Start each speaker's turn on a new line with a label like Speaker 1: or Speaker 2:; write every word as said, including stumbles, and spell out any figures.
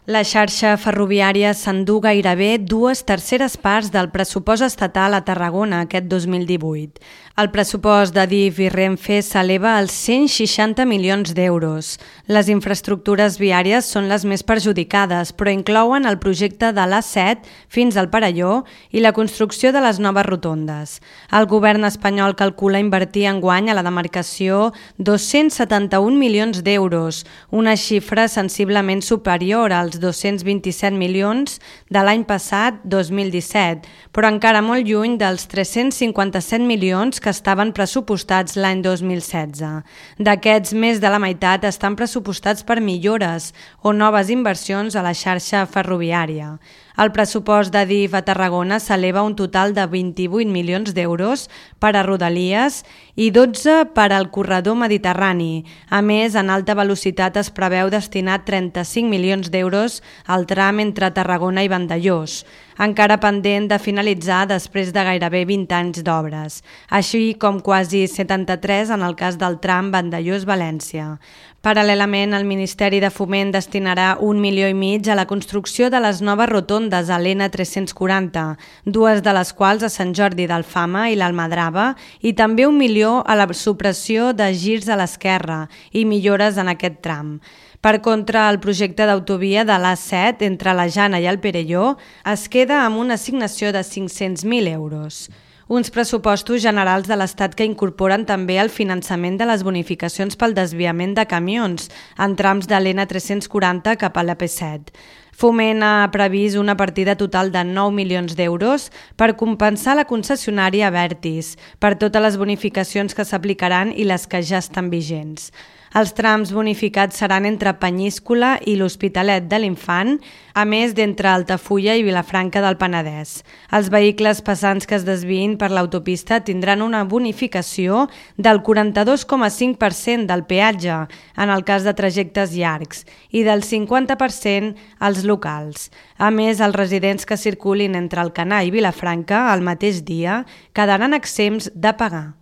Speaker 1: La xarxa ferroviària s'endú gairebé dues terceres parts del pressupost estatal a Tarragona aquest dos mil divuit. El pressupost d'Adif i Renfe s'eleva als cent seixanta milions d'euros. Les infraestructures viàries són les més perjudicades, però inclouen el projecte de l'A set fins al Perelló i la construcció de les noves rotondes. El govern espanyol calcula invertir enguany a la demarcació dos-cents setanta-un milions d'euros, una xifra sensiblement superior als dos-cents vint-i-set milions de l'any passat, dos mil disset, però encara molt lluny dels tres-cents cinquanta-set milions que estaven pressupostats l'any dos mil setze. D'aquests, més de la meitat estan pressupostats per millores o noves inversions a la xarxa ferroviària. El pressupost d'Adif a Tarragona s'eleva a un total de vint-i-vuit milions d'euros per a Rodalies i dotze per al corredor mediterrani. A més, en alta velocitat es preveu destinar trenta-cinc milions d'euros al tram entre Tarragona i Vandellòs, encara pendent de finalitzar després de gairebé vint anys d'obres, així com quasi setanta-tres en el cas del tram Vandellòs-València. Paral·lelament, el Ministeri de Foment destinarà un milió i mig a la construcció de les noves rotondes a l'E N tres-cents quaranta, dues de les quals a Sant Jordi d'Alfama i l'Almadrava, i també un milió a la supressió de girs a l'esquerra i millores en aquest tram. Per contra, el projecte d'autovia de l'A set entre la Jana i el Perelló es queda amb una assignació de cinc-cents mil euros. Uns pressupostos generals de l'Estat que incorporen també el finançament de les bonificacions pel desviament de camions en trams de l'E N tres-cents quaranta cap a l'A P set. Foment ha previst una partida total de nou milions d'euros per compensar la concessionària Abertis per totes les bonificacions que s'aplicaran i les que ja estan vigents. Els trams bonificats seran entre Penyíscola i l'Hospitalet de l'Infant, a més d'entre Altafulla i Vilafranca del Penedès. Els vehicles pesants que es desviïn per l'autopista tindran una bonificació del quaranta-dos coma cinc per cent del peatge en el cas de trajectes llargs i del cinquanta per cent als locals. A més, els residents que circulin entre Alcanar i Vilafranca el mateix dia quedaran exempts de pagar.